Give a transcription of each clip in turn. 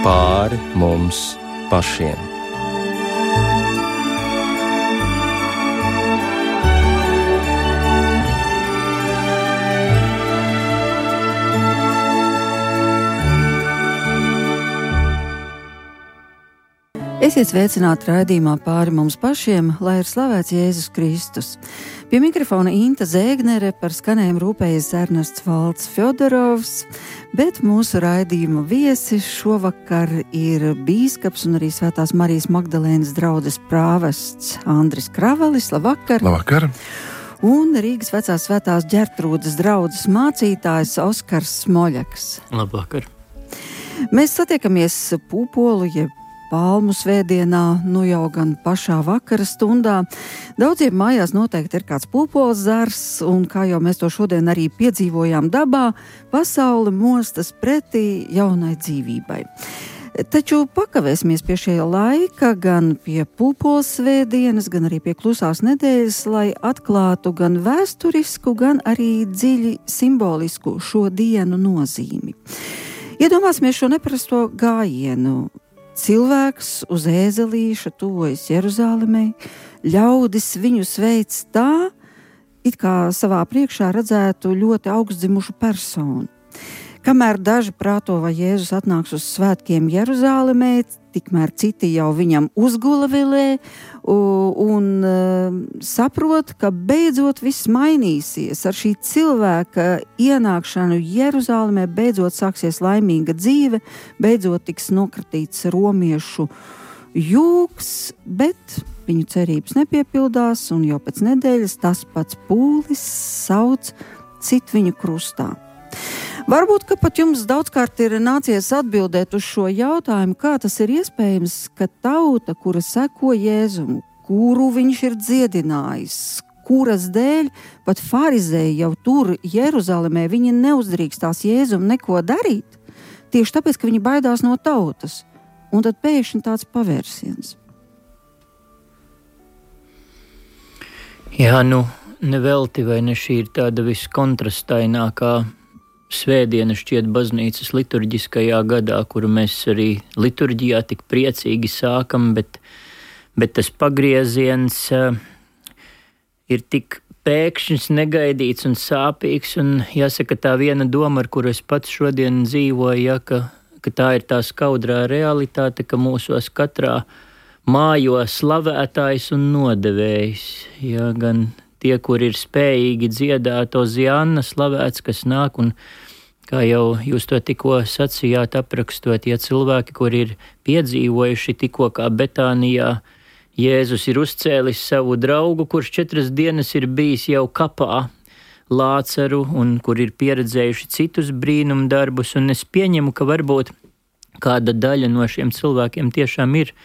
pāri mums pašiem. Esiet sveicināti raidījumā pāri mums pašiem, lai ir slavēts Jēzus Kristus. Pie mikrofona Inta Zēgnere, par skanējumu rūpējas Ernests Valds Fjodorovs, bet mūsu raidījuma viesis šovakar ir bīskaps un arī Svētās Marijas Magdalēnas draudzes prāvests Andris Kravalis. Labvakar! Labvakar! Un Rīgas vecās Svētās Ģertrūdes draudzes mācītājs Oskars Smoļaks. Labvakar! Mēs satiekamies Pūpolu, jeb Palmu svētdienā, nu jau gan pašā vakara stundā. Daudziem mājās noteikti ir kāds pūpoles zars, un kā jau mēs to šodien arī piedzīvojām dabā, pasaule mostas pretī jaunai dzīvībai. Taču pakavēsimies pie šī laika, gan pie pūpoles svētdienas, gan arī pie klusās nedēļas, lai atklātu gan vēsturisku, gan arī dziļi simbolisku šo dienu nozīmi. Iedomāsimies šo neparasto gājienu. Cilvēks uz ēzelīša tuvojas Jeruzālemei, ļaudis viņu sveic tā, it kā savā priekšā redzētu ļoti augstdzimušu personu. Kamēr daži prāto, vai Jēzus atnāks uz svētkiem Jeruzālemē, tikmēr citi jau viņam uzgulavilē un saprot, ka beidzot viss mainīsies. Ar šī cilvēka ienākšanu Jeruzālemē beidzot sāksies laimīga dzīve, beidzot tiks nokratīts romiešu jūgs, bet viņu cerības nepiepildās, un jau pēc nedēļas tas pats pūlis sauc cit viņu krustā. Varbūt, ka pat jums daudzkārt ir nācies atbildēt uz šo jautājumu, kā tas ir iespējams, ka tauta, kura seko Jēzumu, kuru viņš ir dziedinājis, kuras dēļ pat farizēji jau tur Jeruzālemē, viņi neuzdrīkstās Jēzumu neko darīt, tieši tāpēc, ka viņi baidās no tautas. Un tad pēkšņi tāds pavērsiens. Jā, nevelti vai ne šī ir tāda viskontrastainākā svētdiena šķiet baznīcas liturģiskajā gadā, kuru mēs arī liturģijā tik priecīgi sākam, bet tas pagrieziens ir tik pēkšņs, negaidīts un sāpīgs, un jāsaka tā viena doma, ar kuru es pats šodien dzīvoju, ja, ka tā ir tā skaudrā realitāte, ka mūsos katrā mājo slavētājs un nodevējs, ja, gan tie, kur ir spējīgi dziedāt Ozianna slavēts, kas nāk, un kā jau jūs to tikko sacījāt aprakstot, ja cilvēki, kur ir piedzīvojuši tikko kā Betānijā, Jēzus ir uzcēlis savu draugu, kurš 4 dienas ir bijis jau kapā, Lācaru, un kur ir pieredzējuši citus brīnumdarbus, un es pieņemu, ka varbūt kāda daļa no šiem cilvēkiem tiešām ir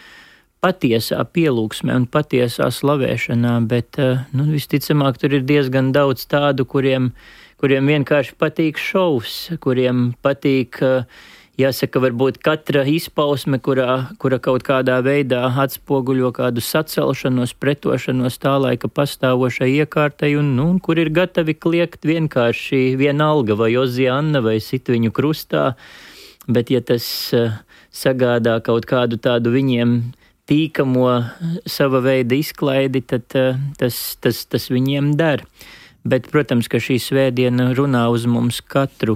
patiesā pielūgsmē un patiesā slavēšanā, bet visticamāk tur ir diezgan daudz tādu, kuriem vienkārši patīk šovs, kuriem patīk, jāsaka, varbūt katra izpausme, kura kaut kādā veidā atspoguļo kādu sacelšanos, pretošanos tā laika pastāvošai iekārtai, un kur ir gatavi kliegt vienkārši vienalga vai Ozianna vai sit viņu krustā, bet ja tas sagādā kaut kādu tādu viņiem tīkamo sava veida izklaidi, tad tas viņiem der. Bet, protams, ka šī svētdiena runā uz mums katru,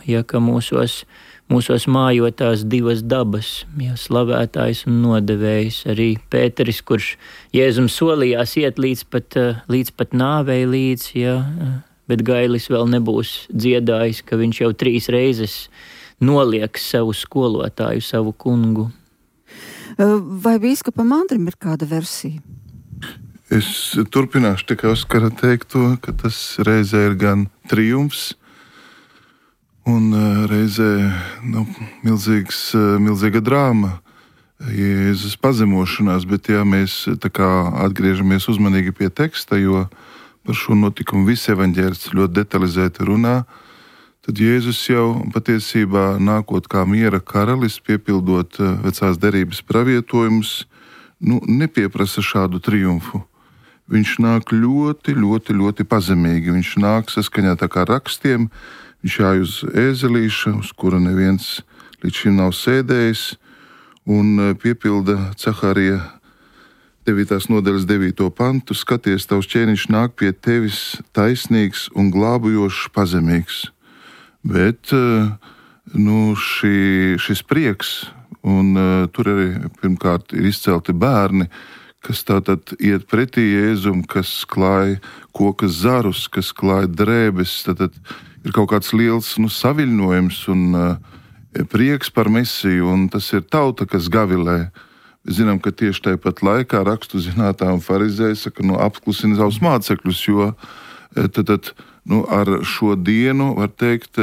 ja ka mūsos mājotās divas dabas, ja slavētājs un nodevējs, arī Pēteris, kurš Jēzum solījās iet līdz pat nāvei līdz, ja, bet gailis vēl nebūs dziedājis, ka viņš jau 3 reizes noliek savu skolotāju, savu kungu. Vai bīskapam Andrim ir kāda versija? Es turpināšu tikai Oskara teikto, ka tas reizē ir gan triumfs un reizē milzīga drāma, Jēzus pazemošanās, bet ja mēs tā kā atgriežamies uzmanīgi pie teksta, jo par šo notikumu visi evaņģēlisti ļoti detalizēti runā, tad Jēzus jau patiesībā nākot kā miera karalis, piepildot vecās derības pravietojumus, nepieprasa šādu triumfu. Viņš nāk ļoti, ļoti, ļoti pazemīgi. Viņš nāk saskaņā tā kā rakstiem, viņš jāj uz ēzelīša, uz kura neviens līdz šim nav sēdējis, un piepilda Caharija 9. nodaļas 9. pantu: skaties, tavs ķēniņš nāk pie tevis taisnīgs un glābujošs pazemīgs. Bet šis prieks, un tur arī pirmkārt ir izcelti bērni, kas tātad iet pretī Jēzum, kas klāj kokas zarus, kas klāj drēbes, tātad ir kaut kāds liels saviļņojums un prieks par Mesiju, un tas ir tauta, kas gavilē. Mēs zinām, ka tieši tāpat laikā rakstu zinātāji un farizēji saka, apklusina savus mācekļus, jo ar šo dienu, var teikt,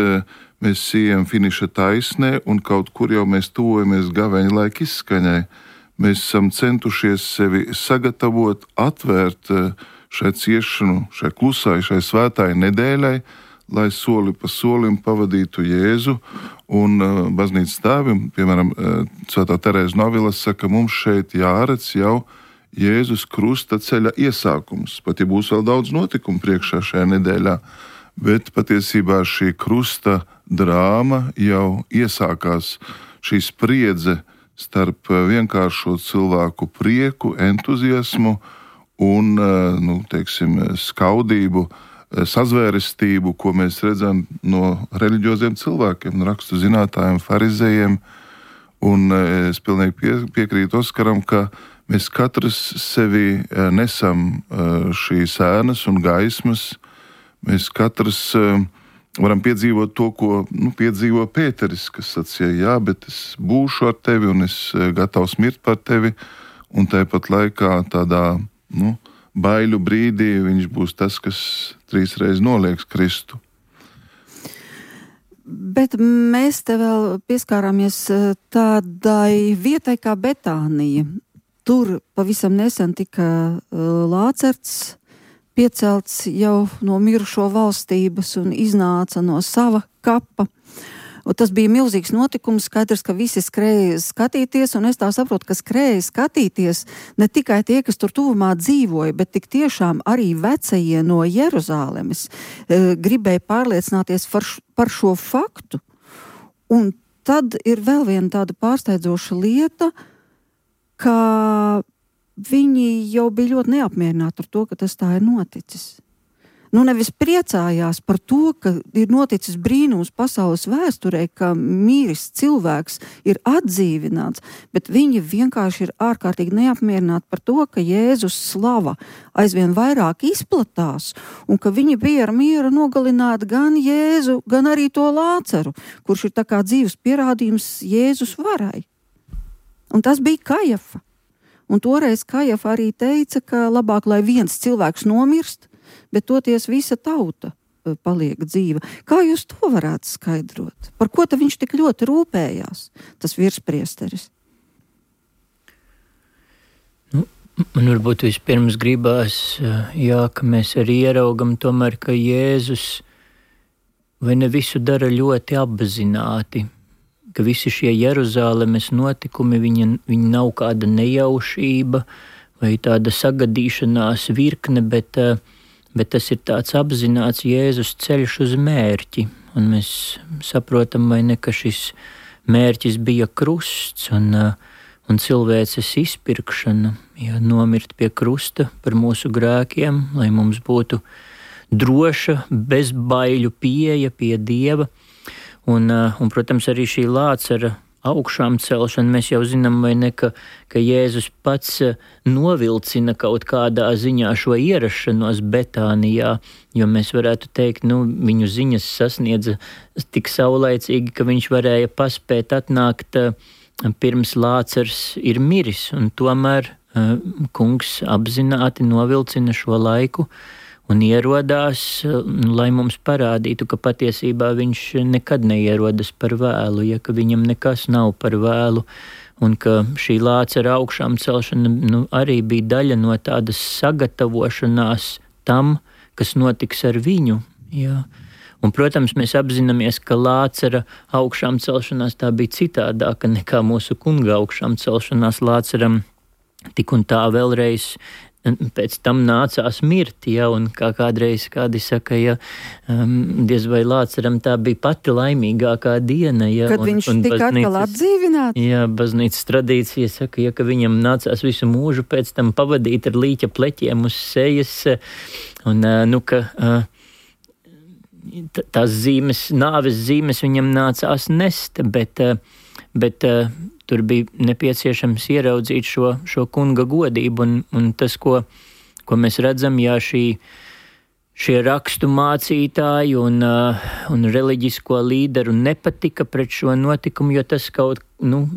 mēs ejam finiša taisnē, un kaut kur jau mēs tuvojamies gaveņa laika izskaņai. Mēs esam centušies sevi sagatavot, atvērt šai ciešanu, šai klusai, šai svētai nedēļai, lai soli pa solim pavadītu Jēzu. Un baznīcas tēvi, piemēram, Svētā Terēza no Avilas saka, mums šeit jāredz jau Jēzus krusta ceļa iesākums. Pat ja būs vēl daudz notikumu priekšā šajā nedēļā, bet patiesībā šī krusta drāma jau iesākās, šī spriedze starp vienkāršo cilvēku prieku, entuziasmu un, skaudību, sazvērestību, ko mēs redzam no reliģioziem cilvēkiem, rakstu zinātājiem, farizējiem. Un es pilnīgi piekrītu Oskaram, ka mēs katrs sevi nesam šīs ēnas un gaismas. Mēs katrs varam piedzīvot to, ko piedzīvo Pēteris, kas sacīja, jā, bet es būšu ar tevi un es gatavs mirt par tevi. Un tāpat laikā tādā baiļu brīdī viņš būs tas, kas 3 reizes nolieks Kristu. Bet mēs te vēl pieskārāmies tādai vietai kā Betānija. Tur pavisam nesen tika Lācerts piecelts jau no mirušo valstības un iznāca no sava kapa. Un tas bija milzīgs notikums, skaidrs, ka visi skrēja skatīties, un es tā saprotu, ka skrēja skatīties ne tikai tie, kas tur tuvumā dzīvoja, bet tik tiešām arī vecajie no Jeruzālemes gribēja pārliecināties par šo faktu. Un tad ir vēl viena tāda pārsteidzoša lieta, ka viņi jau bija ļoti neapmierināti ar to, ka tas tā ir noticis. Nevis priecājās par to, ka ir noticis brīnums pasaules vēsturē, ka mīris cilvēks ir atdzīvināts, bet viņi vienkārši ir ārkārtīgi neapmierināti par to, ka Jēzus slava aizvien vairāk izplatās, un ka viņi bija ar mieru nogalināt gan Jēzu, gan arī to Lāceru, kurš ir tā kā dzīves pierādījums Jēzus varai. Un tas bija Kajafa. Un toreiz Kajafa arī teica, ka labāk, lai viens cilvēks nomirst, bet toties visa tauta paliek dzīva. Kā jūs to varētu skaidrot? Par ko tad viņš tik ļoti rūpējās, tas virspriesteris? Man varbūt vispirms gribās, ka mēs arī ieraugam tomēr, ka Jēzus vai ne visu dara ļoti apzināti, ka visi šie Jeruzālemes notikumi, viņi nav kāda nejaušība vai tāda sagadīšanās virkne, bet tas ir tāds apzināts Jēzus ceļš uz mērķi. Un mēs saprotam, vai ne, ka šis mērķis bija krusts un cilvēces izpirkšana, nomirt pie krusta par mūsu grēkiem, lai mums būtu droša, bezbaiļu pieeja pie Dieva. Un, protams, arī šī Lācara augšām celšana, mēs jau zinām, vai ne, ka Jēzus pats novilcina kaut kādā ziņā šo ierašanos Betānijā, jo mēs varētu teikt, viņu ziņas sasniedza tik saulaicīgi, ka viņš varēja paspēt atnākt pirms Lācars ir miris, un tomēr kungs apzināti novilcina šo laiku un ierodās, lai mums parādītu, ka patiesībā viņš nekad neierodas par vēlu, ka viņam nekas nav par vēlu, un ka šī Lācara augšām celšana arī bija daļa no tādas sagatavošanās tam, kas notiks ar viņu. Jā. Un, protams, mēs apzināmies, ka Lācara augšām celšanās tā bija citādāka nekā mūsu kunga augšām celšanās. Lācaram tik un tā vēlreiz pēc tam nācās mirt, ja, un kā kādreiz kādi saka, ja, diez vai Lāceram tā bija pati laimīgākā diena, ja. Kad viņš tika atkal atdzīvināts? Jā, baznīcas tradīcija saka, ja, ka viņam nācās visu mūžu pēc tam pavadīt ar līķa pleķiem uz sejas, un, tās zīmes, nāves zīmes viņam nācās nest, bet tur bija nepieciešams ieraudzīt šo kunga godību, un tas, ko mēs redzam, jā, šie rakstu mācītāji un reliģisko līderu nepatika pret šo notikumu, jo tas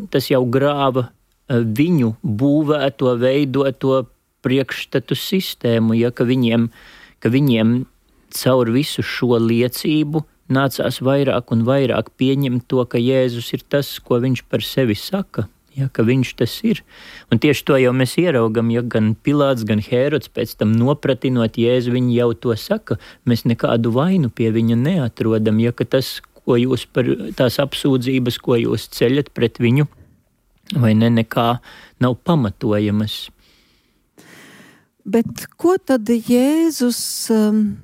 tas jau grāva viņu būvēto, veidoto priekšstatu sistēmu, ja, ka viņiem caur visu šo liecību nācās vairāk un vairāk pieņemt to, ka Jēzus ir tas, ko viņš par sevi saka, ja, ka viņš tas ir. Un tieši to jau mēs ieraugam, ja gan Pilāts, gan Hērods pēc tam nopratinot Jēzu, viņi jau to saka, mēs nekādu vainu pie viņa neatrodam, ja, ka tas, ko jūs par tās apsūdzības, ko jūs ceļat pret viņu, vai nekā nav pamatojamas. Bet ko tad Jēzus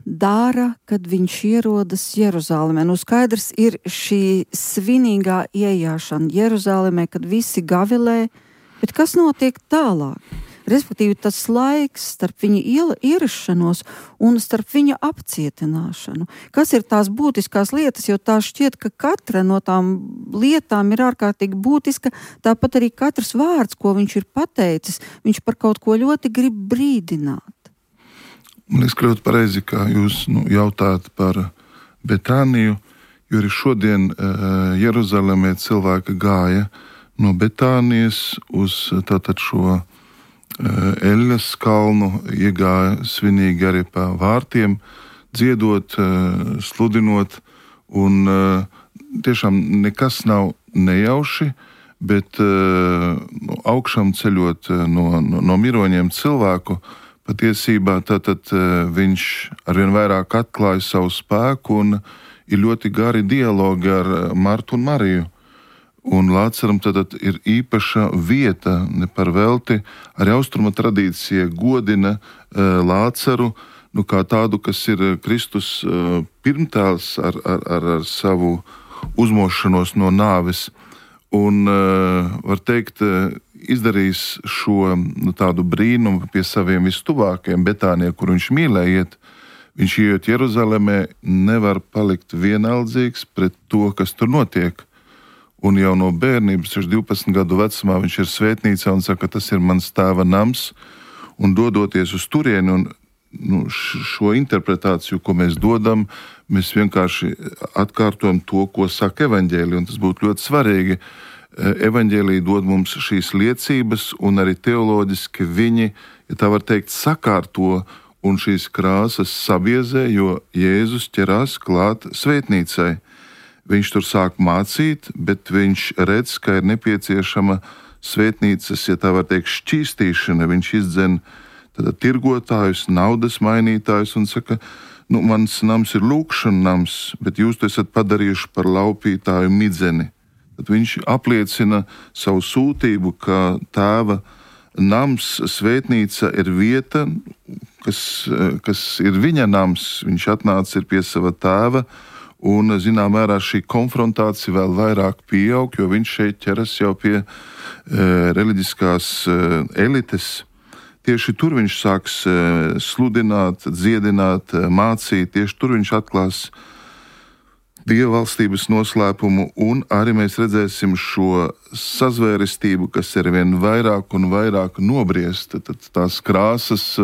dara, kad viņš ierodas Jeruzālēmē? Skaidrs ir šī svinīgā iejāšana Jeruzālēmē, kad visi gavilē, bet kas notiek tālāk? Respektīvi tas laiks starp viņa ierašanos un starp viņa apcietināšanu. Kas ir tās būtiskās lietas, jo tā šķiet, ka katra no tām lietām ir ārkārtīgi būtiska, tāpat arī katrs vārds, ko viņš ir pateicis, viņš par kaut ko ļoti grib brīdināt. Man liekas, ļoti pareizi, kā jūs jautājat par Betāniju, jo arī šodien Jeruzalemē cilvēki gāja no Betānijas uz tātad šo Eļas kalnu, iegāja svinīgi arī pa vārtiem, dziedot, sludinot, un tiešām nekas nav nejauši, bet augšām ceļot no miroņiem cilvēku, patiesībā tātad viņš arvien vairāk atklāja savu spēku un ir ļoti gari dialogi ar Martu un Mariju. Un Lāceram tad ir īpaša vieta, ne par velti, arī austrumu tradīcija godina Lāceru, kā tādu, kas ir Kristus pirmtēls ar savu uzmošanos no nāves. Un, var teikt, izdarījis šo tādu brīnumu pie saviem vistuvākajiem Betānijā, kur viņš mīlēja iet. Viņš iet Jeruzalemē, nevar palikt vienaldzīgs pret to, kas tur notiek. Un jau no bērnības, 12 gadu vecumā, viņš ir svētnīcā un saka, tas ir mans tēva nams. Un dodoties uz turieni, un šo interpretāciju, ko mēs dodam, mēs vienkārši atkārtojam to, ko saka evaņģēlija. Un tas būtu ļoti svarīgi. Evaņģēlija dod mums šīs liecības, un arī teoloģiski viņi, ja tā var teikt, sakārto un šīs krāsas sabiezē, jo Jēzus ķerās klāt svētnīcai. Viņš tur sāk mācīt, bet viņš redz, ka ir nepieciešama svētnīcas, ja tā var teikt, šķīstīšana. Viņš izdzen tirgotājus, naudas mainītājus un saka, mans nams ir lūkšana nams, bet jūs to esat padarījuši par laupītāju midzeni. Tad viņš apliecina savu sūtību, ka tēva nams, svētnīca ir vieta, kas ir viņa nams. Viņš atnāca ir pie sava tēva, un, zinām, mērā šī konfrontācija vēl vairāk pieaug, jo viņš šeit ķeras jau pie reliģiskās elites. Tieši tur viņš sāks sludināt, dziedināt, mācīt, tieši tur viņš atklās Dieva valstības noslēpumu, un arī mēs redzēsim šo sazvērestību, kas ir vien vairāk un vairāk nobriest. Tad tās krāsas,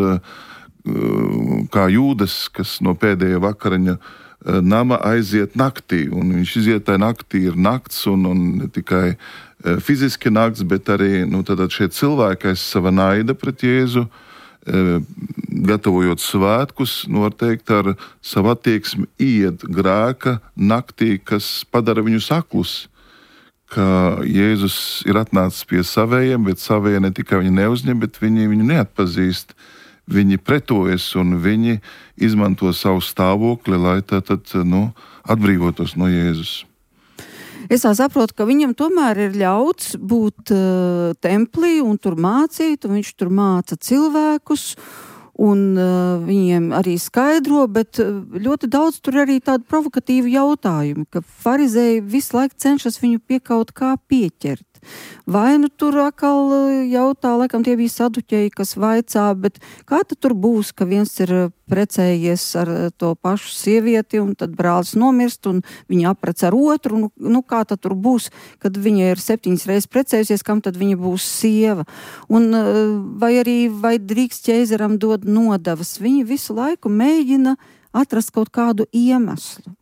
kā Jūdas, kas no pēdējā vakariņa nama aiziet naktī, un viņš iziet tajā naktī, ir nakts, un ne tikai fiziski nakts, bet arī šie cilvēki aiz sava naida pret Jēzu, gatavojot svētkus, var teikt, ar savu attieksmi iet grēka naktī, kas padara viņus aklus, ka Jēzus ir atnācis pie savējiem, bet savējie ne tikai viņu neuzņem, bet viņi viņu neatpazīst. Viņi pretojas un viņi izmanto savu stāvokli, lai atbrīvotos no Jēzus. Es tā saprotu, ka viņam tomēr ir ļauts būt templī un tur mācīt, un viņš tur māca cilvēkus, un viņiem arī skaidro, bet ļoti daudz tur arī tādu provokatīvu jautājumu, ka farizēji visu laiku cenšas viņu pie kaut kā pieķert. Vai nu tur atkal jautā, laikam tie bija saduķeji, kas vaicā, bet kā tad tur būs, ka viens ir precējies ar to pašu sievieti, un tad brālis nomirst, un viņa aprec ar otru, nu kā tad tur būs, kad viņa ir 7 reizes precējusies, kam tad viņa būs sieva? Un vai drīkst ķeizaram dod nodevas? Viņi visu laiku mēģina atrast kaut kādu iemeslu.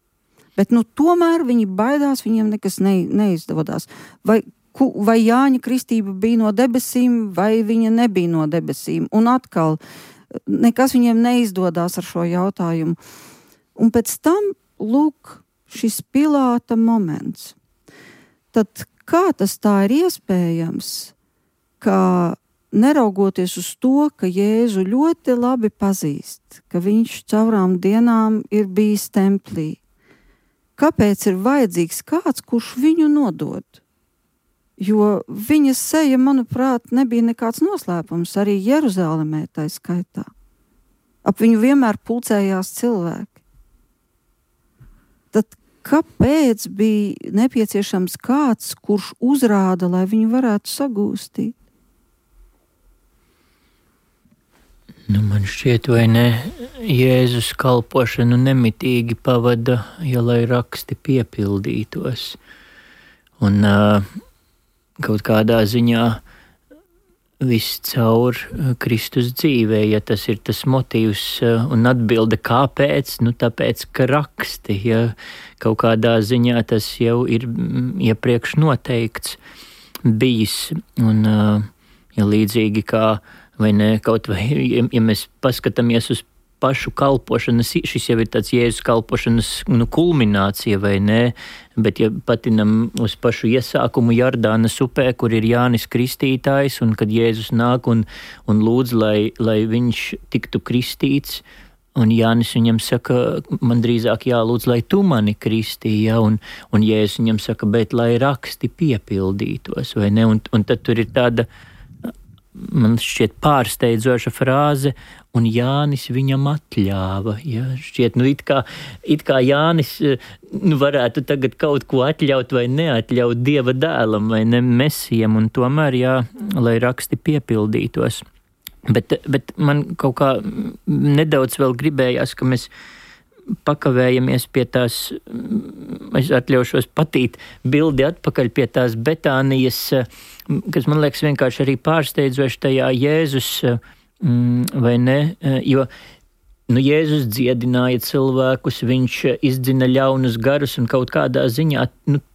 Bet tomēr viņi baidās, viņiem nekas neizdodās. Vai Jāņa kristība bija no debesīm, vai viņa nebija no debesīm. Un atkal, nekas viņiem neizdodās ar šo jautājumu. Un pēc tam, lūk, šis Pilāta moments. Tad kā tas tā ir iespējams, ka neraugoties uz to, ka Jēzu ļoti labi pazīst, ka viņš caurām dienām ir bijis templī, kāpēc ir vajadzīgs kāds, kurš viņu nodod? Jo viņa seja, manuprāt, nebija nekāds noslēpums, arī Jeruzalemē tā skaitā. Ap viņu vienmēr pulcējās cilvēki. Tad kāpēc bija nepieciešams kāds, kurš uzrāda, lai viņu varētu sagūstīt? Man šķiet, vai ne, Jēzus kalpošanu nemitīgi pavada, ja lai raksti piepildītos. Un kaut kādā ziņā viss caur Kristus dzīvē, ja tas ir tas motīvs un atbilde kāpēc, tāpēc, ka raksti, ja kaut kādā ziņā tas jau ir iepriekš noteikts bijis. Un ja līdzīgi kā, vai ne, kaut vai, ja mēs paskatāmies uz pašu kalpošanas, šis jau ir tāds Jēzus kalpošanas kulminācija, vai ne, bet ja patinam uz pašu iesākumu Jordānas upē, kur ir Jānis Kristītājs, un kad Jēzus nāk un lūdz, lai viņš tiktu kristīts, un Jānis viņam saka, man drīzāk jālūdz, lai tu mani kristīji, ja? un Jēzus viņam saka, bet lai raksti piepildītos, vai ne, un tad tur ir tāda, man šķiet pārsteidzoša frāze, un Jānis viņam atļāva. Ja? Šķiet, it kā Jānis varētu tagad kaut ko atļaut vai neatļaut Dieva dēlam vai ne Mesijam, un tomēr, lai raksti piepildītos. Bet man kaut kā nedaudz vēl gribējās, ka mēs pakavējamies pie tās, es atļaušos patīt bildi atpakaļ pie tās Betānijas, kas man liekas vienkārši arī pārsteidzoši tajā Jēzus, vai ne, jo Jēzus dziedināja cilvēkus, viņš izdzina ļaunus garus un kaut kādā ziņā,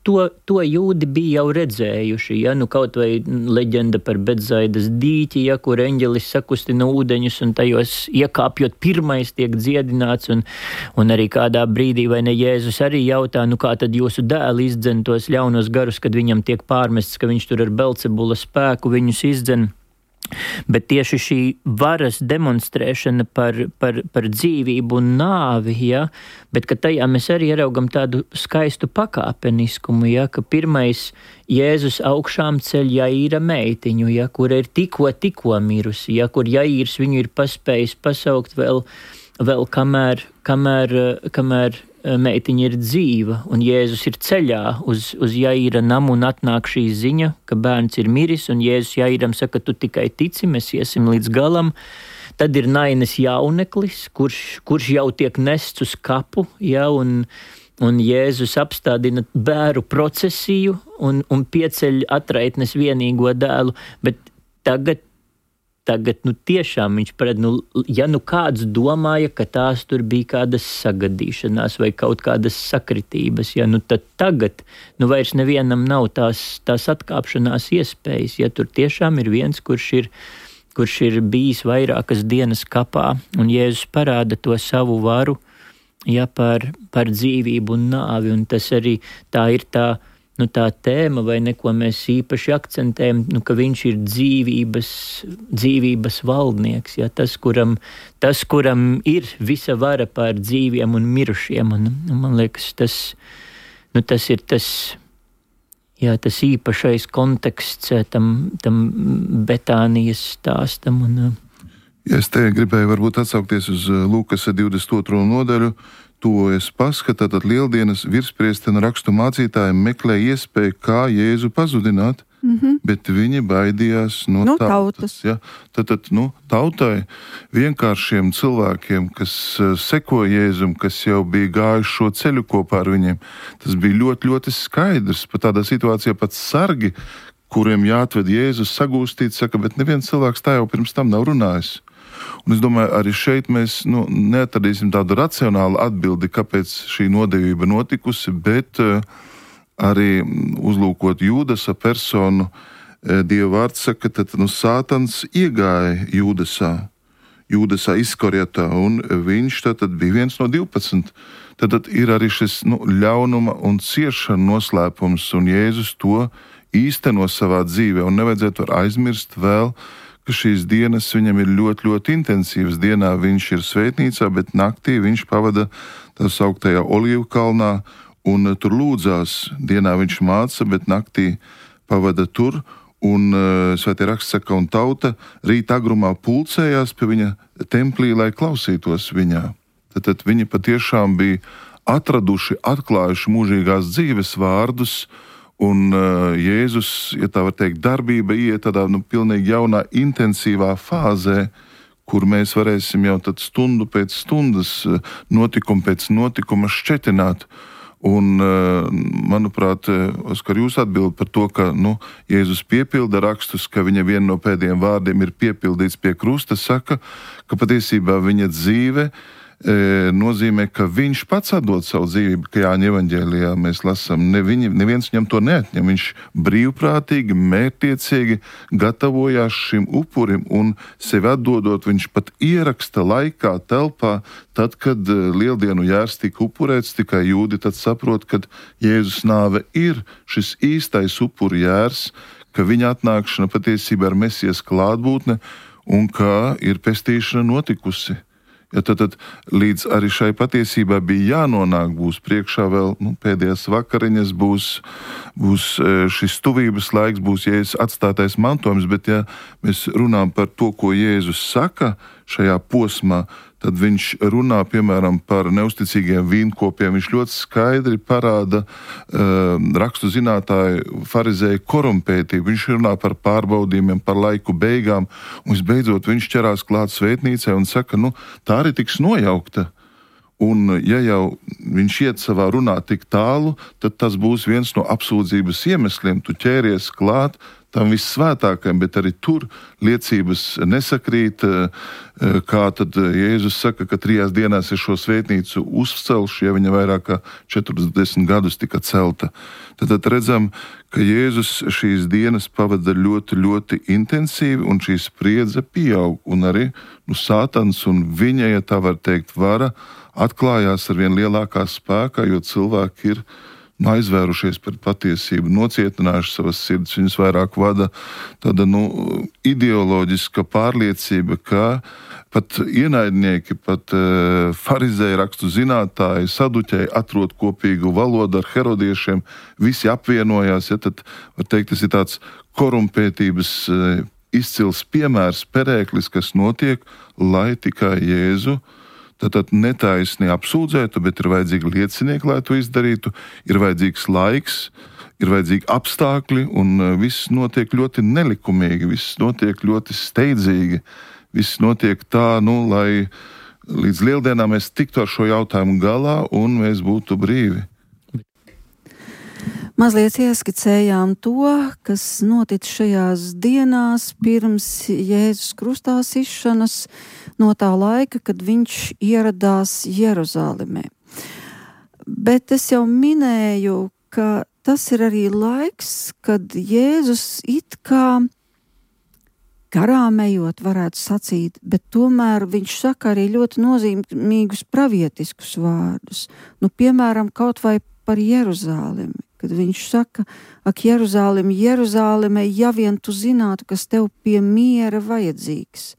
to jūdi bija jau redzējuši, ja, kaut vai leģenda par Betsaidas dīķi, ja, kur eņģelis sakustina ūdeņus un tajos iekāpjot pirmais tiek dziedināts, un arī kādā brīdī, vai ne, Jēzus arī jautā, kā tad jūsu dēli izdzen tos ļaunos garus, kad viņam tiek pārmests, ka viņš tur ar Belcebula spēku viņus izdzen. Bet tieši šī varas demonstrēšana par dzīvību un nāvi, ja, bet ka tajā mēs arī ieraugam tādu skaistu pakāpeniskumu, ja, ka pirmais Jēzus augšām ceļ Jaīra meitiņu, ja, kura ir tikko mirusi, ja, kur Jaīrs viņu ir paspējis pasaukt vēl kamēr meitiņa ir dzīva, un Jēzus ir ceļā uz Jaīra namu, un atnāk šī ziņa, ka bērns ir miris, un Jēzus Jaīram saka, tu tikai tici, mēs iesim līdz galam. Tad ir Nainas jauneklis, kurš jau tiek nests uz kapu, ja, un Jēzus apstādina bēru procesiju un pieceļ atraitnes vienīgo dēlu, bet tagad tiešām viņš ja kāds domāja, ka tās tur bija kādas sagadīšanās vai kaut kādas sakritības, ja tad tagad vairs nevienam nav tās atkāpšanās iespējas, ja tur tiešām ir viens, kurš ir bijis vairākas dienas kapā, un Jēzus parāda to savu varu, ja par dzīvību un nāvi, un tas arī tā ir tā tēma, vai neko mēs īpaši akcentējam, ka viņš ir dzīvības valdnieks, ja, tas, kuram ir visa vara pār dzīviem un mirušiem, un man liekas, tas ir tas jā, tas īpašais konteksts tam Betānijas stāstam. Ja es te gribēju varbūt atsaukties uz Lūkas 22. nodaļu, tuvojas Pascha, tātad lieldienas virspriesteri un rakstu mācītāji meklē iespēju, kā Jēzu pazudināt, bet viņi baidījās no tautas. Ja? Tātad, tautai, vienkāršiem cilvēkiem, kas seko Jēzum, kas jau bija gājuši šo ceļu kopā ar viņiem, tas bija ļoti, ļoti skaidrs. Pat tādā situācijā pat sargi, kuriem jāatved Jēzus sagūstīt, saka, bet neviens cilvēks tā jau pirms tam nav runājis. Un es domāju, arī šeit mēs neatradīsim tādu racionālu atbildi, kāpēc šī nodevība notikusi, bet arī uzlūkot Jūdasa personu, Dieva vārds saka, tad Sātans iegāja Jūdasā Iskariotā, un viņš tad bija viens no 12. Tad ir arī šis ļaunuma un ciešana noslēpums, un Jēzus to īsteno savā dzīvē, un nevajadzētu aizmirst vēl, ka šīs dienas viņam ir ļoti, ļoti intensīvas. Dienā viņš ir svētnīcā, bet naktī viņš pavada tā sauktajā Olīvu kalnā un tur lūdzās. Dienā viņš māca, bet naktī pavada tur, un svētie raksts saka, un tauta rīt agrumā pulcējās pie viņa templī, lai klausītos viņā. Tad viņi patiešām bija atraduši, atklājuši mūžīgās dzīves vārdus, un Jēzus, ja tā var teikt, darbība iet tādā pilnīgi jaunā, intensīvā fāzē, kur mēs varēsim jau tad stundu pēc stundas, notikumu pēc notikuma šķetināt. Un, manuprāt, Oskar, jūs atbild par to, ka Jēzus piepilda rakstus, ka viņa viena no pēdējiem vārdiem ir piepildīts pie krusta, saka, ka patiesībā viņa dzīve nozīmē, ka viņš pats atdod savu dzīvību, ka Jāņa evaņģēlijā mēs lasām, neviens viņam to neatņem. Viņš brīvprātīgi, mērķtiecīgi gatavojās šim upurim un sevi atdodot, viņš pat ieraksta laikā, telpā, tad, kad lieldienu jērs tika upurēts, tikai jūdi tad saprot, ka Jēzus nāve ir šis īstais upuru jērs, ka viņa atnākšana patiesībā ir Mesijas klātbūtne un ka ir pestīšana notikusi. Ja tad līdz arī šai patiesībā bija jānonāk, būs priekšā vēl pēdējās vakariņas, būs šis tuvības laiks, būs Jēzus atstātais mantojums, bet ja mēs runājam par to, ko Jēzus saka šajā posmā, tad viņš runā, piemēram, par neusticīgiem vīnkopiem. Viņš ļoti skaidri parāda rakstu zinātāju farizēju korumpētību. Viņš runā par pārbaudījumiem, par laiku beigām, un visbeidzot viņš ķerās klāt svētnīcai un saka, tā arī tiks nojaukta. Un ja jau viņš iet savā runā tik tālu, tad tas būs viens no apsūdzības iemesliem. Tu ķēries klāt tam vissvētākajam, bet arī tur liecības nesakrīt, kā tad Jēzus saka, ka 3 dienās ir šo svētnīcu uzcelšu, ja viņa vairāk kā 40 gadus tika celta. Tad redzam, ka Jēzus šīs dienas pavada ļoti, ļoti intensīvi, un šī spriedze pieaug, un arī Sātans un viņa, ja tā var teikt, vara atklājās ar vien lielākā spēkā, jo cilvēki ir aizvērušies pret patiesību, nocietinājuši savas sirds. Viņus vairāk vada tāda ideoloģiska pārliecība, ka pat ienaidnieki, pat farizēji, rakstu zinātāji, saduķēji atrod kopīgu valodu ar herodiešiem, visi apvienojās. Ja, tad, var teikt, tas ir tāds korumpētības izcils piemērs, perēklis, kas notiek, lai tikai Jēzu tad netaisni apsūdzētu, bet ir vajadzīgi liecinieki, lai to izdarītu, ir vajadzīgs laiks, ir vajadzīgi apstākļi, un viss notiek ļoti nelikumīgi, viss notiek ļoti steidzīgi, viss notiek tā, lai līdz lieldienām mēs tiktu ar šo jautājumu galā un mēs būtu brīvi. Mazliet ieskicējām to, kas notic šajās dienās pirms Jēzus krustā sišanas, no tā laika, kad viņš ieradās Jeruzālemē. Bet es jau minēju, ka tas ir arī laiks, kad Jēzus it kā garām ejot, varētu sacīt, bet tomēr viņš saka arī ļoti nozīmīgus pravietiskus vārdus. Piemēram, kaut vai par Jeruzālemi, kad viņš saka, ak, Jeruzālemi, Jeruzāleme, ja vien tu zinātu, kas tev pie miera vajadzīgs,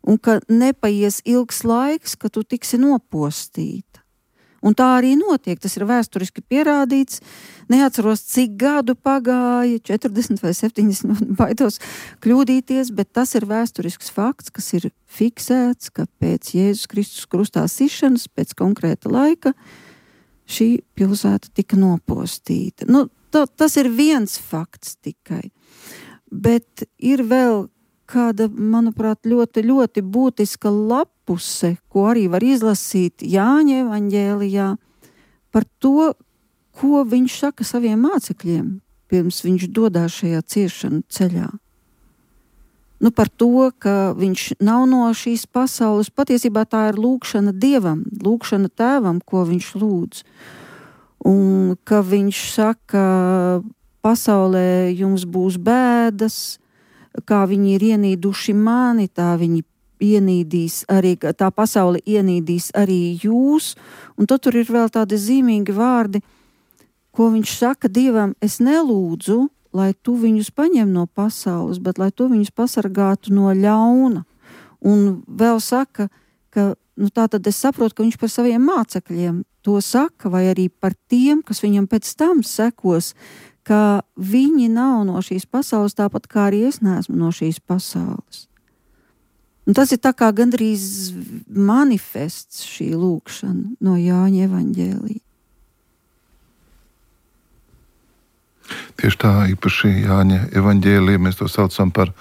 un ka nepaies ilgs laiks, ka tu tiksi nopostīta. Un tā arī notiek, tas ir vēsturiski pierādīts. Neatceros, cik gadu pagāja, 40 vai 70, baidos kļūdīties, bet tas ir vēsturisks fakts, kas ir fiksēts, ka pēc Jēzus Kristus krustā sišanas, pēc konkrēta laika, šī pilsēta tika nopostīta. Tas ir viens fakts tikai, bet ir vēl kāda, manuprāt, ļoti, ļoti būtiska lapuse, ko arī var izlasīt Jāņa evaņģēlijā par to, ko viņš saka saviem mācekļiem, pirms viņš dodās šajā ciešanu ceļā. Par to, ka viņš nav no šīs pasaules, patiesībā tā ir lūgšana Dievam, lūgšana Tēvam, ko viņš lūdz. Un ka viņš saka, pasaulē jums būs bēdas, kā viņi ir ienīduši mani, tā viņi ienīdīs arī, tā pasaule ienīdīs arī jūs, un tad tur ir vēl tādi zīmīgi vārdi, ko viņš saka Dievam, es nelūdzu, lai tu viņus paņem no pasaules, bet lai tu viņus pasargātu no ļauna. Un vēl saka, ka, tātad es saprotu, ka viņš par saviem mācekļiem to saka, vai arī par tiem, kas viņam pēc tam sekos, ka viņi nav no šīs pasaules, tāpat kā arī es neesmu no šīs pasaules. Un tas ir tā kā gandrīz manifests šī lūkšana no Jāņa evaņģēlija. Tieši tā, īpaši Jāņa evaņģēlija, mēs to saucam par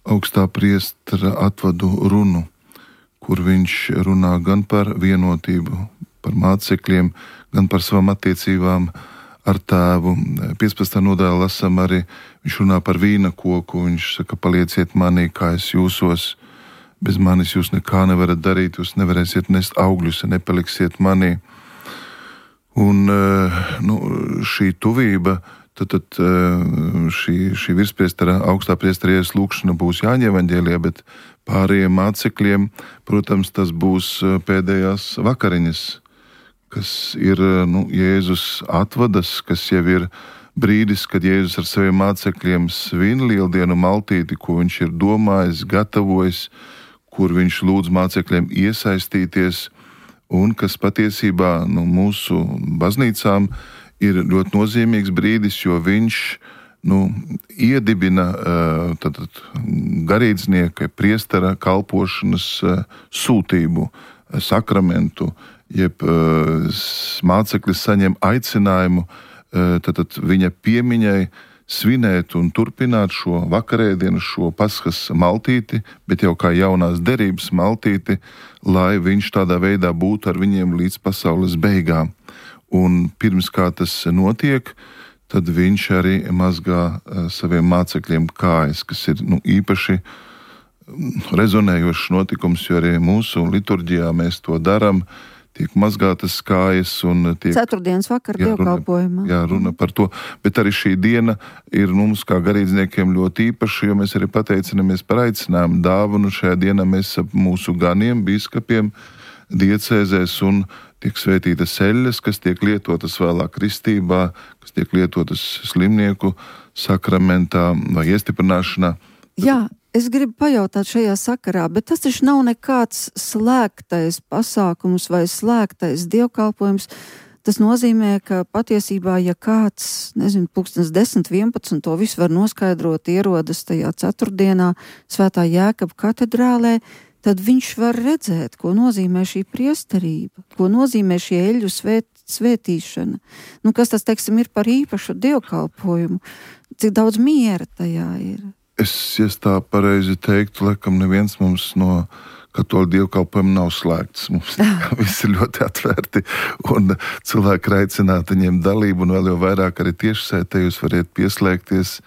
augstā priestera atvadu runu, kur viņš runā gan par vienotību, par mācekļiem, gan par savām attiecībām ar Tēvu. 15. nodaļā lasām arī, viņš runā par vīna koku, viņš saka, palieciet manī, kā es jūsos, bez manis jūs nekā nevarat darīt, jūs nevarēsiet nest augļus, ja nepaliksiet manī. Un šī tuvība, tad šī virspriestera, augstā priestera Jēzus lūkšana būs Jāņa evaņģēlijā, bet pārējiem mācekļiem, protams, tas būs pēdējās vakariņas, kas ir Jēzus atvadas, kas jau ir brīdis, kad Jēzus ar saviem mācekļiem svin lieldienu maltīti, ko viņš ir domājis, gatavojis, kur viņš lūdz mācekļiem iesaistīties, un kas patiesībā mūsu baznīcām ir ļoti nozīmīgs brīdis, jo viņš iedibina garīdznieka, priestera kalpošanas sūtību, sakramentu, jeb mācekļi saņem aicinājumu viņa piemiņai svinēt un turpināt šo vakarēdienu, šo Paskas maltīti, bet jau kā jaunās derības maltīti, lai viņš tādā veidā būtu ar viņiem līdz pasaules beigām. Un pirms kā tas notiek, tad viņš arī mazgā saviem mācekļiem kājas, kas ir īpaši rezonējošs notikums, jo arī mūsu liturģijā mēs to darām, tiek mazgātas kājas un tiek... Ceturtdienas vakar dievkalpojumā. Jā, runa par to, bet arī šī diena ir mums kā garīdzniekiem ļoti īpaša, jo mēs arī pateicinamies par aicinājumu dāvanu. Šajā dienā mēs ap mūsu ganiem, biskupiem, diecēzēs un tiek svētītas eļļas, kas tiek lietotas vēlāk kristībā, kas tiek lietotas slimnieku sakramentā vai iestiprināšanā. Jā, es gribu pajautāt šajā sakarā, bet tas taču nav nekāds slēgtais pasākums vai slēgtais dievkalpojums. Tas nozīmē, ka patiesībā, ja kāds, 10, 11, to visu var noskaidrot, ierodas tajā ceturtdienā Svētā Jēkaba katedrālē, tad viņš var redzēt, ko nozīmē šī priesterība, ko nozīmē šī eļļu svētīšana. Kas tas, teiksim, ir par īpašu dievkalpojumu, cik daudz miera tajā ir. Es tā pareizi teiktu, laikam neviens mums no katoļu dievkalpojuma nav slēgts. Mums viss ir ļoti atvērti un cilvēki ir aicināti ņemt dalību un vēl jau vairāk arī tiešsaitē jūs variet pieslēgties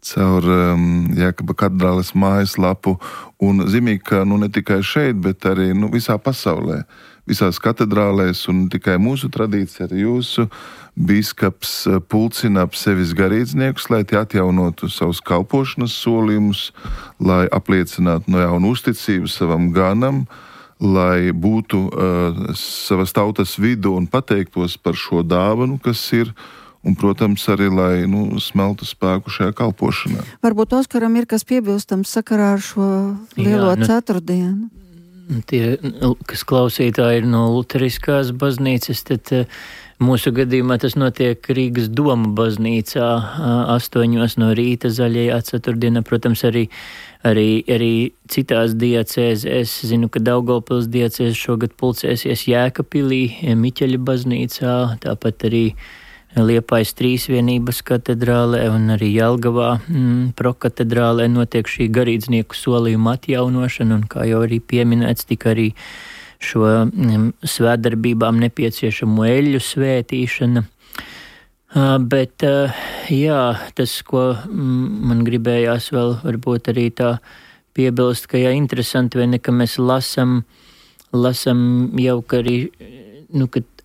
caur Jēkaba katedrāles mājaslapu un zīmīgi, ka ne tikai šeit, bet arī visā pasaulē, visās katedrālēs un ne tikai mūsu tradīcija, arī jūsu bīskaps pulcina ap sevis garīdzniekus, lai tie atjaunotu savus kalpošanas solījumus, lai apliecinātu no jauna uzticību savam ganam, lai būtu savas tautas vidu un pateiktos par šo dāvanu, kas ir, un, protams, arī, lai smeltu spēku šajā kalpošanā. Varbūt Oskaram ir kas piebilstams sakarā ar šo lielo ceturtdienu? tie, kas klausītāji ir no luteriskās baznīcas, tad mūsu gadījumā tas notiek Rīgas Doma baznīcā 8 no rīta zaļajā ceturtdienā. Protams, arī citās diecēs. Es zinu, ka Daugavpils diecēs šogad pulcēsies Jēkabpilī, Miķeļa baznīcā, tāpat arī Liepājas Trīsvienības katedrālē un arī Jelgavā prokatedrālē notiek šī garīdznieku solījuma atjaunošana, un kā jau arī pieminēts, tika arī šo svētdarbībām nepieciešamo eļļu svētīšana. Bet, jā, tas, ko man gribējās vēl varbūt arī tā piebilst, ka jā, interesanti, vai ne, ka mēs lasam jau, ka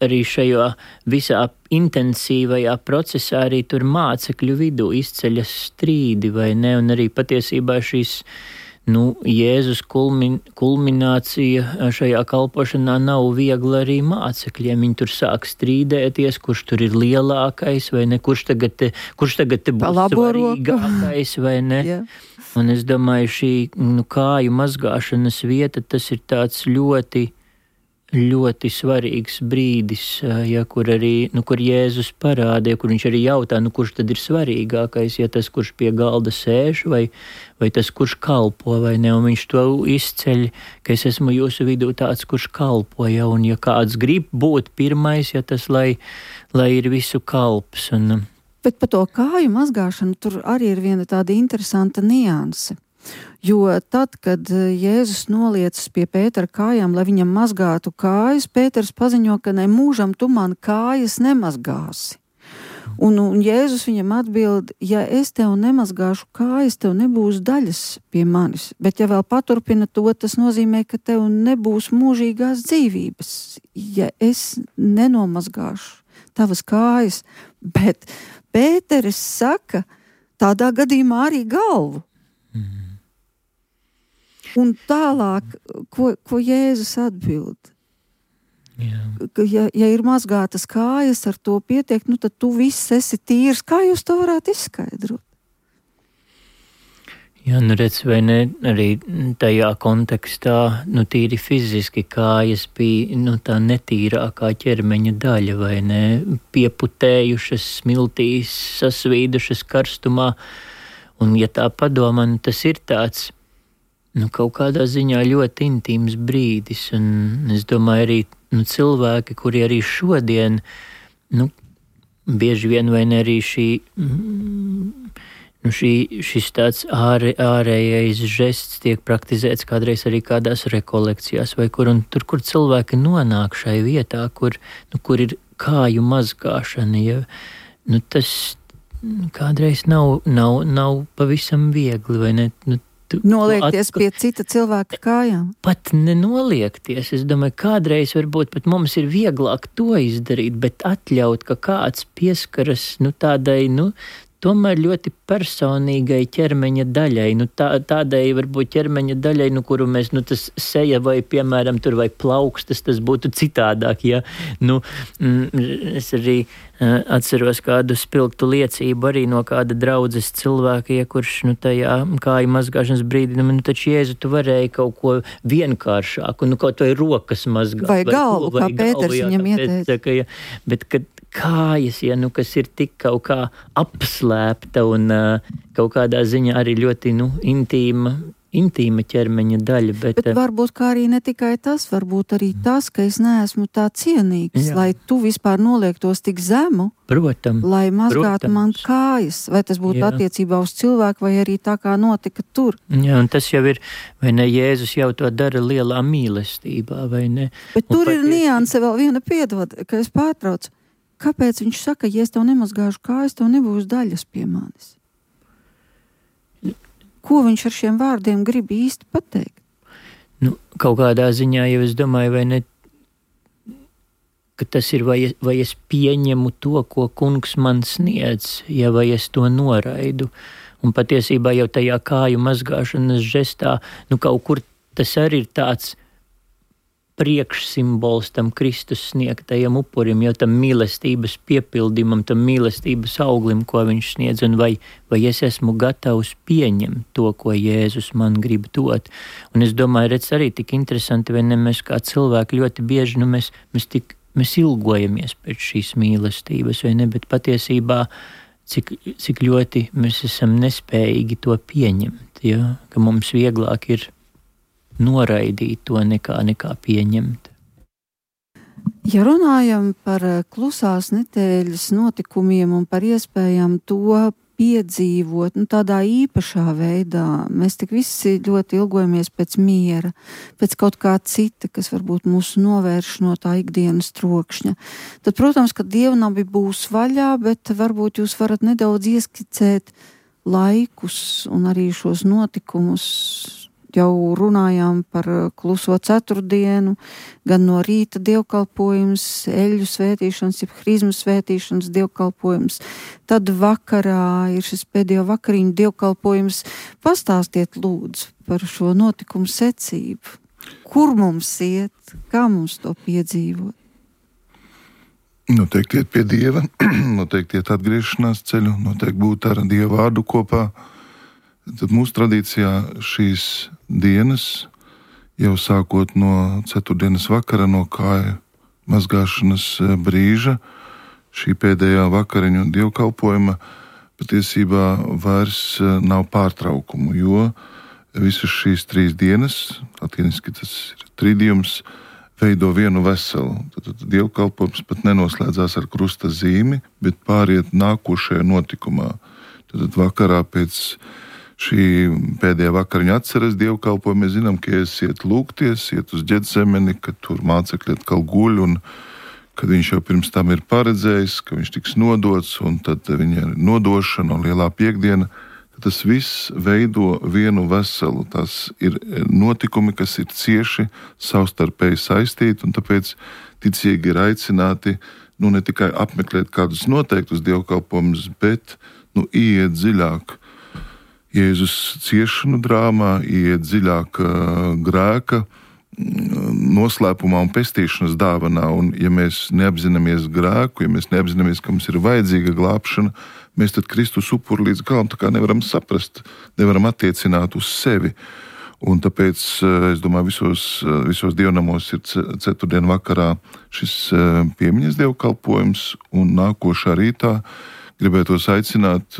arī šajā visā intensīvajā procesā arī tur mācekļu vidū izceļas strīdi, vai ne, un arī patiesībā šīs, Jēzus kulminācija šajā kalpošanā nav viegla arī mācekļiem. Viņi tur sāk strīdēties, kurš tur ir lielākais, vai ne, kurš tagad te būs svarīgākais, vai ne. Yeah. Un es domāju, šī kāju mazgāšanas vieta, tas ir tāds ļoti svarīgs brīdis, ja, kur arī, kur Jēzus parādīja, kur viņš arī jautā, kurš tad ir svarīgākais, ja tas, kurš pie galda sēž, vai tas, kurš kalpo, vai ne, un viņš to izceļ, ka es esmu jūsu vidū tāds, kurš kalpo, ja, un ja kāds grib būt pirmais, ja tas, lai ir visu kalps. Bet par to kāju mazgāšanu tur arī ir viena tāda interesanta nianse. Jo tad, kad Jēzus noliecas pie Pētera kājām, lai viņam mazgātu kājas, Pēters paziņo, ka ne mūžam tu man kājas nemazgāsi. Un Jēzus viņam atbild, ja es tev nemazgāšu kājas, tev nebūs daļas pie manis. Bet ja vēl paturpina to, tas nozīmē, ka tev nebūs mūžīgās dzīvības, ja es nenomazgāšu tavas kājas. Bet Pēteris saka, tādā gadījumā arī galvu. Un tālāk, ko Jēzus atbild? Ja ir mazgātas kājas, ar to pietiek, tad tu viss esi tīrs. Kā jūs to varētu izskaidrot? Jā, redz, vai ne, arī tajā kontekstā, tīri fiziski kājas bija, tā netīrākā ķermeņa daļa, vai ne, pieputējušas, smiltīs, sasvīdušas karstumā. Un, ja tā padomā, tas ir tāds, kaut kādā ziņā ļoti intīms brīdis, un es domāju arī, cilvēki, kuri arī šodien, bieži vien vai ne arī šis tāds ārējais žests tiek praktizēts kādreiz arī kādās rekolekcijās vai kur, un tur, kur cilvēki nonāk šai vietā, kur ir kāju mazgāšana, ja, tas kādreiz nav pavisam viegli, vai ne, noliekties pie cita cilvēka kājām? Pat nenoliekties. Es domāju, kādreiz varbūt pat mums ir vieglāk to izdarīt, bet atļaut, ka kāds pieskaras tādai, tomēr ļoti personīgai ķermeņa daļai. Tādai varbūt ķermeņa daļai, kuru mēs, tas seja vai, piemēram, tur vai plaukstas, tas būtu citādāk, ja. Es arī atceros kādu spilgtu liecību arī no kāda draudzes cilvēka, ja kurš, tajā kāju mazgāšanas brīdī, taču Jēzu, tu varēji kaut ko vienkāršāku, kaut vai rokas mazgāt. Vai galvu, kā Pēters viņam ieteica. Bet, kad kājas, ja, kas ir tik kaut kā apslēpta un kaut kādā ziņā arī ļoti, intīma ķermeņa daļa. Bet varbūt kā arī ne tikai tas, varbūt arī tas, ka es neesmu tā cienīgs, lai tu vispār noliektos tik zemu, lai mazgātu man kājas, vai tas būtu attiecībā uz cilvēku, vai arī tā kā notika tur. Jā, un tas jau ir, vai ne, Jēzus jau to dara lielā mīlestībā, vai ne? Bet tur ir nianse vēl viena piedod, ka es pārtraucu. Kāpēc viņš saka, ja es tev nemazgāšu kājas, tev nebūs daļas pie manis? Ko viņš ar šiem vārdiem grib īsti pateikt? Kaut kādā ziņā jau es domāju, vai ne, ka tas ir, vai es pieņemu to, ko kungs man sniedz, ja vai es to noraidu. Un patiesībā jau tajā kāju mazgāšanas žestā, kaut kur tas arī ir tāds priekšsimbols tam Kristus sniegtajam upurim, jo tam mīlestības piepildījumam, tam mīlestības auglim, ko viņš sniedz, un vai es esmu gatavs pieņemt to, ko Jēzus man grib dot. Un es domāju, redz arī tik interesanti, vai ne, mēs kā cilvēki ļoti bieži, mēs ilgojamies pēc šīs mīlestības, vai ne, bet patiesībā cik ļoti mēs esam nespējīgi to pieņemt, ja? Ka mums vieglāk ir noraidīt to nekā pieņemt. Ja runājam par klusās nedēļas notikumiem un par iespējām to piedzīvot, tādā īpašā veidā, mēs tik visi ļoti ilgojamies pēc miera, pēc kaut kā cita, kas varbūt mūs novērš no tā ikdienas trokšņa. Tad, protams, ka dievnabi būs vaļā, bet varbūt jūs varat nedaudz ieskicēt laikus un arī šos notikumus. Jau runājām par kluso ceturtdienu, gan no rīta dievkalpojums, eļļu svētīšanas, jeb hrizmu svētīšanas dievkalpojums. Tad vakarā ir šis pēdējo vakariņu dievkalpojums. Pastāstiet lūdzu par šo notikumu secību. Kur mums iet, kā mums to piedzīvot? Noteikti iet pie Dieva, noteikti iet atgriešanās ceļu, noteikti būt ar Dieva vārdu kopā. Tad mūsu tradīcijā šīs dienas, jau sākot no ceturtdienas vakara, no kāju mazgāšanas brīža, šī pēdējā vakariņu dievkalpojuma patiesībā vairs nav pārtraukumu, jo visas šīs 3 dienas, latiniski tas ir tridijums, veido vienu veselu. Tad dievkalpojums pat nenoslēdzās ar krusta zīmi, bet pāriet nākošajā notikumā. Tad vakarā pēc šī pēdējā vakariņa atceres dievkalpojumu, mēs zinām, ka iet lūgties, iet uz Ģetsemeni, ka tur mācekļi atkal guļ, un kad viņš jau pirms tam ir paredzējis, ka viņš tiks nodots, un tad viņa nodošana un lielā piekdiena, tad tas viss veido vienu veselu. Tas ir notikumi, kas ir cieši savstarpēji saistīti, un tāpēc ticīgi ir aicināti ne tikai apmeklēt kādus noteiktus dievkalpojumus, bet iet dziļāk Jēzus ciešanu drāmā, iet dziļāk grēka noslēpumā un pestīšanas dāvanā. Un ja mēs neapzināmies grēku, ja mēs neapzināmies, ka mums ir vajadzīga glābšana, mēs tad Kristus upuri līdz galam tā kā nevaram saprast, nevaram attiecināt uz sevi. Un tāpēc, es domāju, visos dievnamos ir ceturtdien vakarā šis piemiņas dievkalpojums, un nākošā rītā gribētos aicināt,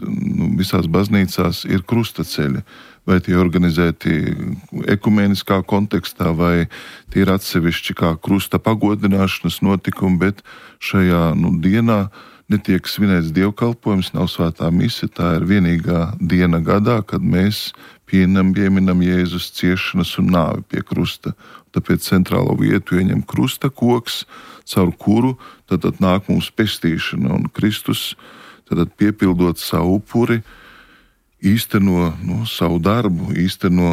visās baznīcās ir krustaceļi, vai tie organizēti ekumeniskā kontekstā, vai tie ir atsevišķi kā krusta pagodināšanas notikumi, bet šajā dienā netiek svinēts dievkalpojums, nav svētā mise, tā ir vienīgā diena gadā, kad mēs pieminam Jēzus ciešanas un nāvi pie krusta. Tāpēc centrālo vietu ieņem krusta koks, caur kuru tad nāk mums pestīšana, un Kristus tad piepildot savu upuri, īsteno savu darbu, īsteno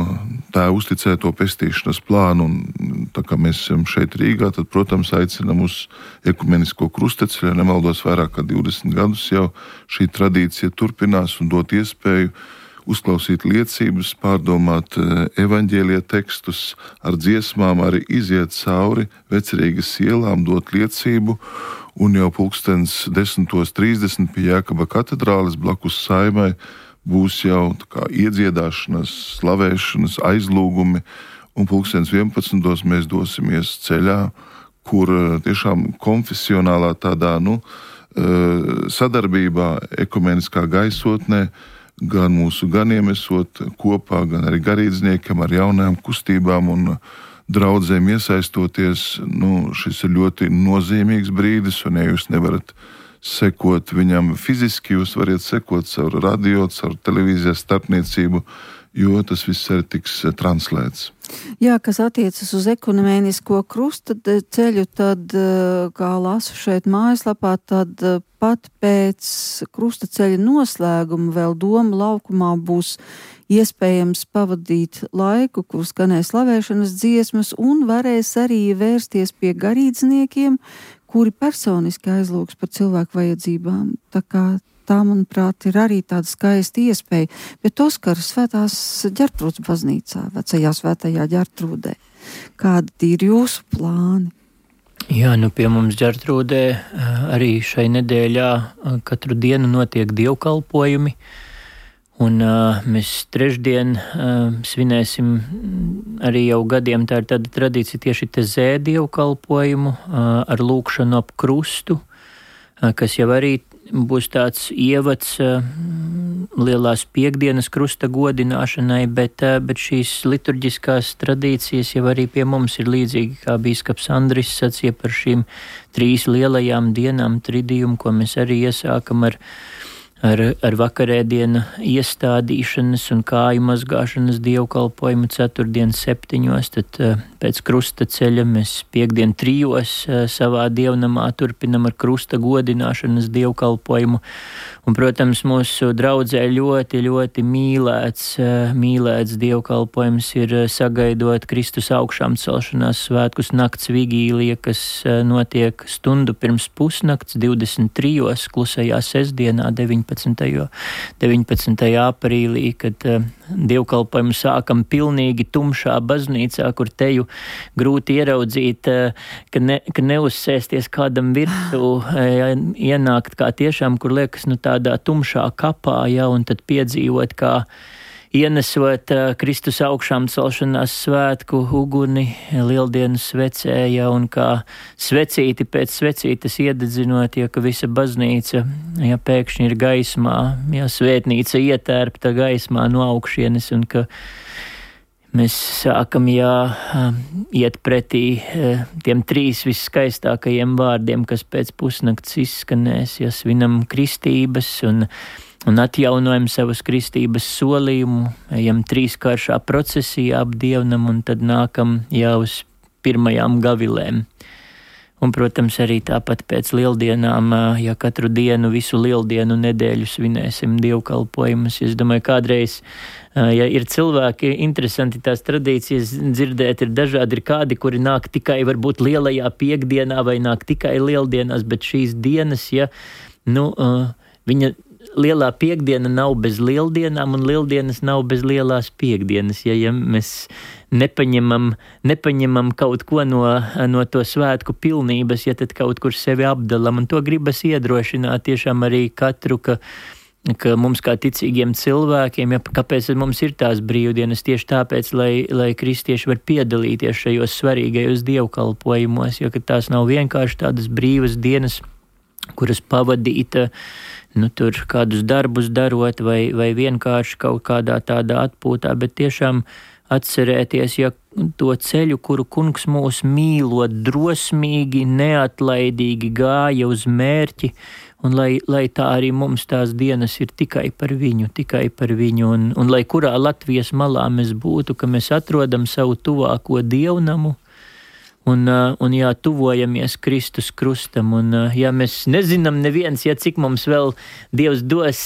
tā uzticēto pestīšanas plānu. Un tā kā mēs esam šeit Rīgā, tad, protams, aicinam uz ekumenisko krusteceļu. Nemaldos, vairāk kā 20 gadus jau šī tradīcija turpinās un dot iespēju uzklausīt liecības, pārdomāt evaņģēlija tekstus, ar dziesmām arī iziet cauri Vecerīgas ielām, dot liecību. Un jau 10:30 pie Jēkaba katedrāles blakus saimai būs jau iedziedāšanas, slavēšanas, aizlūgumi, un 11:00 mēs dosimies ceļā, kur tiešām konfesionālā tādā sadarbībā, ekumeniskā gaisotnē, gan mūsu ganiem esot kopā, gan arī garīdzniekiem ar jaunajām kustībām un draudzēm iesaistoties. Šis ir ļoti nozīmīgs brīdis, un ja jūs nevarat sekot viņam fiziski, jūs varat sekot caur radio, caur televīzijas starpniecību, jo tas viss arī tiks translēts. Jā, kas attiecas uz ekumenisko krustaceļu, tad, kā lasu šeit mājaslapā, tad pat pēc krustaceļa noslēguma vēl Doma laukumā būs iespējams pavadīt laiku, kur skanēs slavēšanas dziesmas, un varēs arī vērsties pie garīdzniekiem, kuri personiski aizlūgs par cilvēku vajadzībām. Tā kā tā, manuprāt, ir arī tāda skaista iespēja. Bet Oskar, Svētās Ģertrūdes baznīcā, vecajā Svētajā Ģertrūdē, Kādi ir jūsu plāni? Jā, pie mums Ģertrūdē arī šai nedēļā katru dienu notiek dievkalpojumi. Un mēs trešdien svinēsim arī jau gadiem, tā ir tāda tradīcija tieši te dievkalpojumu ar lūkšanu ap krustu, kas jau arī būs tāds ievads lielās piekdienas krusta godināšanai, bet šīs liturģiskās tradīcijas jau arī pie mums ir līdzīgi, kā bīskaps Andris sacīja par šīm 3 lielajām dienām tridiumu, ko mēs arī iesākam ar vakarēdienu iestādīšanas un kāju mazgāšanas dievkalpojumu 4. 7. Tad pēc krusta ceļa mēs piekdien 3. savā dievnamā turpinam ar krusta godināšanas dievkalpojumu. Un, protams, mūsu draudzē ļoti, ļoti mīlēts dievkalpojums ir sagaidot Kristus augšām celšanās svētkus nakts vigīlija, kas notiek stundu pirms pusnakts 23. klusajā sestdienā 19. aprīlī, kad dievkalpojumu sākam pilnīgi tumšā baznīcā, kur teju grūti ieraudzīt, ka neuzsēsties kādam virsū, ienākt kā tiešām, kur liekas, tādā tumšā kapā, un tad piedzīvot, kā ienesot Kristus augšām celšanās svētku uguni lieldienas svecē, un kā svecīti pēc svecītes iededzinot, ka visa baznīca, pēkšņi ir gaismā, svētnīca ietērpta gaismā no augšienes, un ka mēs sākam iet pretī tiem 3 visskaistākajiem vārdiem, kas pēc pusnakts izskanēs, svinam kristības un atjaunojam savas kristības solījumu, ejam 3-kāršā procesijā ap dievnam un tad nākam uz pirmajām gavilēm. Un, protams, arī tāpat pēc lieldienām, katru dienu, visu lieldienu nedēļu svinēsim dievkalpojumus. Es domāju, kādreiz, ir cilvēki, interesanti tās tradīcijas dzirdēt, ir dažādi, ir kādi, kuri nāk tikai varbūt lielajā piekdienā vai nāk tikai lieldienās, bet šīs dienas, viņa lielā piekdiena nav bez lieldienām un lieldienas nav bez lielās piekdienas. Ja mēs nepaņemam kaut ko no to svētku pilnības, tad kaut kur sevi apdalam, un to gribas iedrošināt tiešām arī katru, ka mums kā ticīgiem cilvēkiem, kāpēc mums ir tās brīvdienas, tieši tāpēc, lai kristieši var piedalīties šajos svarīgajos dievkalpojumos, ka tās nav vienkārši tādas brīvas dienas, kuras pavadīta, tur kādus darbus darot vai vienkārši kaut kādā tādā atpūtā, bet tiešām atcerēties, to ceļu, kuru kungs mūs mīlot, drosmīgi, neatlaidīgi gāja uz mērķi, un lai tā arī mums tās dienas ir tikai par viņu, un lai kurā Latvijas malā mēs būtu, ka mēs atrodam savu tuvāko dievnamu, un tuvojamies Kristus krustam, un mēs nezinām neviens, cik mums vēl Dievs dos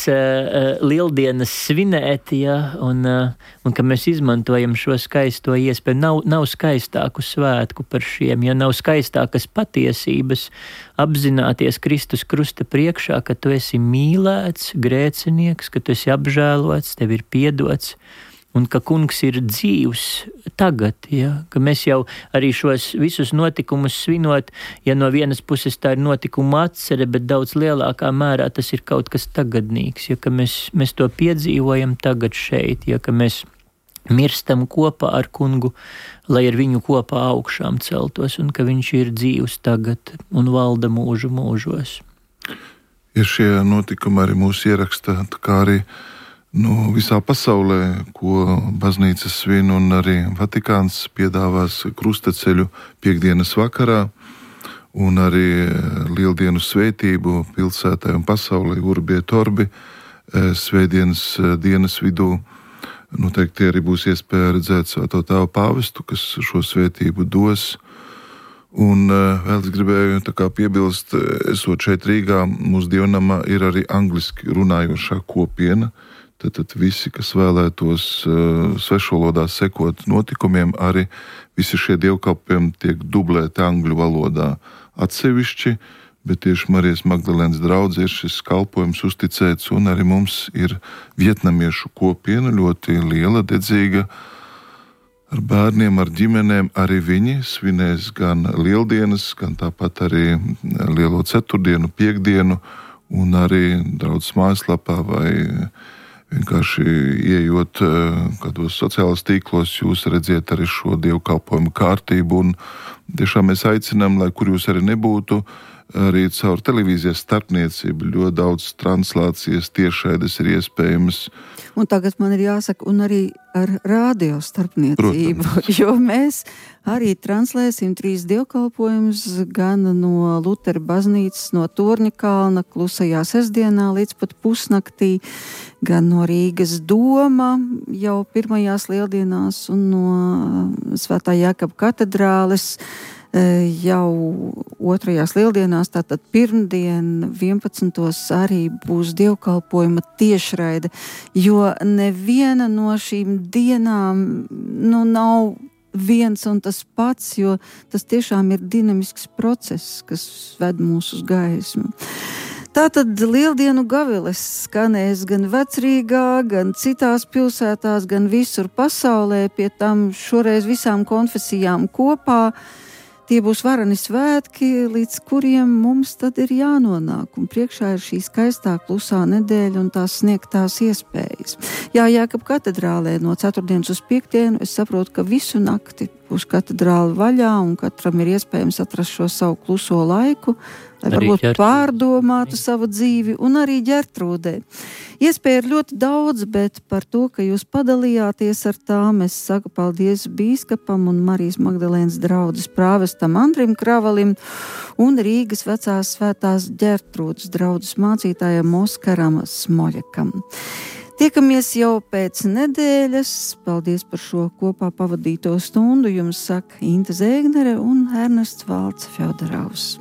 lieldienas svinēt, un ka mēs izmantojam šo skaisto iespēju. Nav skaistāku svētku par šiem, nav skaistākas patiesības apzināties Kristus krusta priekšā, ka tu esi mīlēts, grēcinieks, ka tu esi apžēlots, tev ir piedots, un ka kungs ir dzīvs tagad, ka mēs jau arī šos visus notikumus svinot, no vienas puses tā ir notikuma atcere, bet daudz lielākā mērā tas ir kaut kas tagadnīgs, ka mēs to piedzīvojam tagad šeit, ka mēs mirstam kopā ar kungu, lai ar viņu kopā augšām celtos, un ka viņš ir dzīvs tagad un valda mūžu mūžos. Ir šie notikumi arī mūsu ieraksta, kā arī visā pasaulē, ko baznīca svin, un arī Vatikāns piedāvās krustaceļu piekdienas vakarā, un arī lieldienu svētību pilsētai un pasaulē Urbi et Orbi svētdienas dienas vidū. Noteikti arī būs iespēja redzēt Svēto Tēvu pāvestu, kas šo svētību dos. Un vēl es gribēju piebilst, esot šeit Rīgā, mūsu dievnamā ir arī angliski runājošā kopiena. Tad visi, kas vēlētos svešvalodā sekot notikumiem, arī visi šie dievkalpojumi tiek dublēti angļu valodā atsevišķi, bet tieši Marijas Magdalēnas draudzē ir šis kalpojums uzticēts, un arī mums ir vietnamiešu kopiena, ļoti liela, dedzīga, ar bērniem, ar ģimenēm. Arī viņi svinēs gan lieldienas, gan tāpat arī lielo ceturtdienu, piekdienu, un arī draudzes mājaslapā vai vienkārši ieejot kādos sociālos tīklos, jūs redziet arī šo dievkalpojumu kārtību, un tiešām mēs aicinām, lai kur jūs arī nebūtu, arī caur televīzijas starpniecību ļoti daudz translācijas tiešraides ir iespējams. Un tagad man ir jāsaka, un arī ar rādio starpniecību, protams. Jo mēs arī translēsim 3 dievkalpojumus gan no Lutera baznīcas, no Torņa kalna klusajā sestdienā līdz pat pusnaktī, gan no Rīgas doma jau pirmajās lieldienās un no Svētā Jākaba katedrāles jau otrajās lieldienās, tātad pirmdien 11. arī būs dievkalpojuma tiešraide, jo neviena no šīm dienām nav viens un tas pats, jo tas tiešām ir dinamisks process, kas ved mūs uz gaismu. Tātad lieldienu gaviles skanēs gan Vecrīgā, gan citās pilsētās, gan visur pasaulē, pie tam šoreiz visām konfesijām kopā. Tie būs varani svētki, līdz kuriem mums tad ir jānonāk, un priekšā ir šī skaistā klusā nedēļa un tās sniegtās iespējas. Jā, Jākaba katedrālē no ceturtdienas uz piekdienu es saprotu, ka visu nakti būs katedrāle vaļā, un katram ir iespējams atrast šo savu kluso laiku, lai varbūt pārdomātu savu dzīvi, un arī Ģertrūdē. Iespēja ir ļoti daudz, bet par to, ka jūs padalījāties ar tām, es saku paldies bīskapam un Marijas Magdalēnas draudzes prāvestam Andrim Kravalim un Rīgas vecās svētās Ģertrūdes draudzes mācītājam Oskaram Smoļakam. Tiekamies jau pēc nedēļas. Paldies par šo kopā pavadīto stundu. Jums saka Inte Zēgnere un Ernests Valds Fjodorovs.